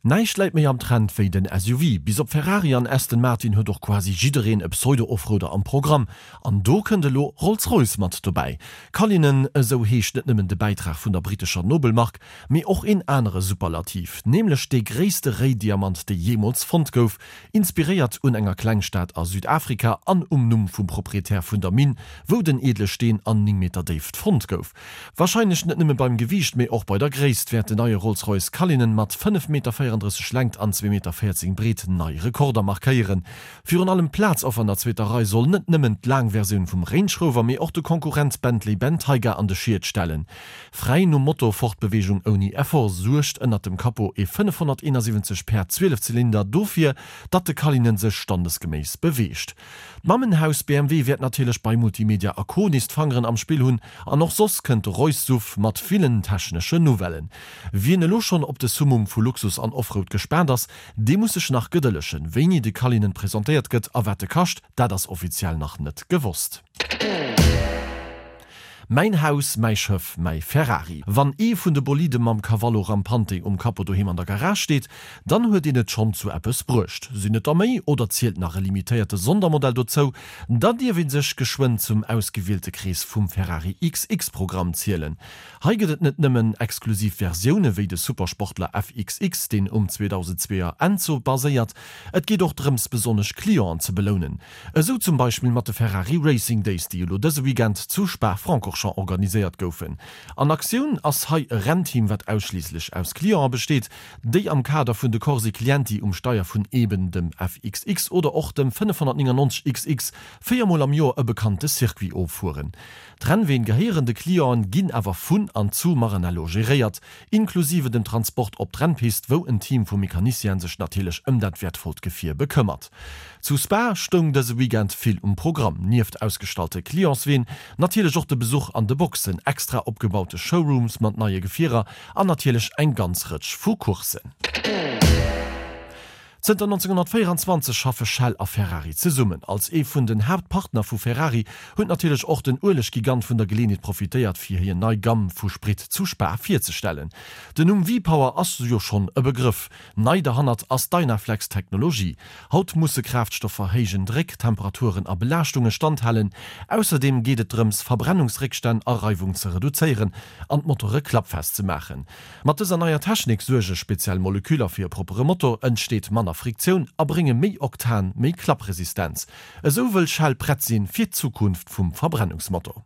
Näischt läit méi am Trend wéi den SUV. Bis op Ferrari an Aston Martin huet och quasi jiddereen e Pseudo-Offroader am Programm. An do kënnt elo Rolls-Royce mat dobäi. Cullinan, esou heescht net nëmmen de Bäitrag vun der brittescher Nobelmark, mee och een anere Superlativ, nämlech dee gréisste Réidiamant dee jeemools fonnt gouf, inspiréiert un enger Klengstad a Südafrika an um Numm vum Proprietär vun der Minn, wou den edle Steen an 9 Meter Déift fonnt gouf. Warscheinlech net nëmme beim Gewiicht, mee och bei der Gréisst wäert den neie Rolls-Royce Cullinan mat 5 Meter 34 Längt an 2 Meter 14 Breet nei Rekorder markéieren. Virun allem d'Plaz och an der zweeter Rei soll net nëmmen d'laang Versioun vum Range Rover, mee och de Konkurrent Bentley Bentayga an de Schiet stellen. Fräi nom Motto Fortbeweegung ouni Effort suergt ënnert dem Capot ee 571 Päerd Zwielefzylinder dofir, datt de Cullinan sech standesgeméiss beweegt. D'Mammenhaus BMW wäert natierlech bei Multimedia a Co. Nees d'Fangeren am Spill hunn an och soss kënnt de Royce-Suv mat villen techneschen Nouvellen. Wien elo schonn op de Summum vu Luxus an Offroad gespaant ass, dee muss sech nach gedëllegen. Wéini de Cullinan presentéiert gëtt a wat e kascht, dat ass offiziell nach net gewosst. Mäin Haus, mäi Schëff, mäi Ferrari. Wann ee vun de Bolide mam Cavallo Rampante um Capot doheem an der Garage steet, dann huet een et schonn zu eppes bruecht. Sinn et der méi oder zielt nach e limitéierte Sondermodell dozou, da dierf ee sech geschwënn zum ausgewielte Krees vum Ferrari XX-Programm zielen. Hei gëtt et net nëmmen exklusiv Versioune wéi de Supersportler FXX, deen um 2002er Enzo baséiert, et geet och drëms besonnesch Clienten ze belounen. Esou zum Beispill mat de Ferrari Racing Days, déi elo dëse Weekend zu Spa-Francorchamps organiséiert goufen. An Aktioun ass hei e Rennteam, wat ausschliisslech aus Clienten besteet, déi am Kader vun de Corse Clienti um Steier vun eben dem FXX oder och dem 599 XX 4 mol am Joer e bekannte Circuit offueren. D'Rennween gehéieren de Clienten, ginn awer vun an zu Maranello geréiert, inklusive dem Transport op d'Rennpist, wou en Team vu Mecaniciene sech natierlech ëm dat wäertvollt Gefier bekëmmert. Zu Spa stoung dëse Weekend vill um Programm, nieft ausgestallte Clientsween natierlech och de Besuch an de Boxen, extra opgebaute Showrooms mat neie Gefierer an natierlech eng ganz Rëtsch vu Courssen. Zënter 1924 schaffe Shell a Ferrari zesummen. Als ee vun den Haaptpartner vu Ferrari huet natierlech och den Ueleggigant vun der Geleeënheet profitéiert, fir hir nei Gamm vu Sprit zu Spa virzestellen. Den Numm V-Power ass jo schonn e Begrëff. Nei derhannert ass d'Dynaflex-Technologie. Haut musse Kraaftstoffer héijen Dréck, Temperaturen a Belaaschtunge standhalen. Ausserdeem geet et drëms, Verbrennungsréckstänn a Reiwung ze reduzéieren an d'Motore klappfest ze maachen. Mat dëser neier Technik suerge speziell Moleküller fir e proppere Motor, entsteet manner Friktioun a brénge méi Oktan, méi Klappresistenz. Esou wëll Shell prett sinn fir d'Zukunft vum Verbrennungsmotor.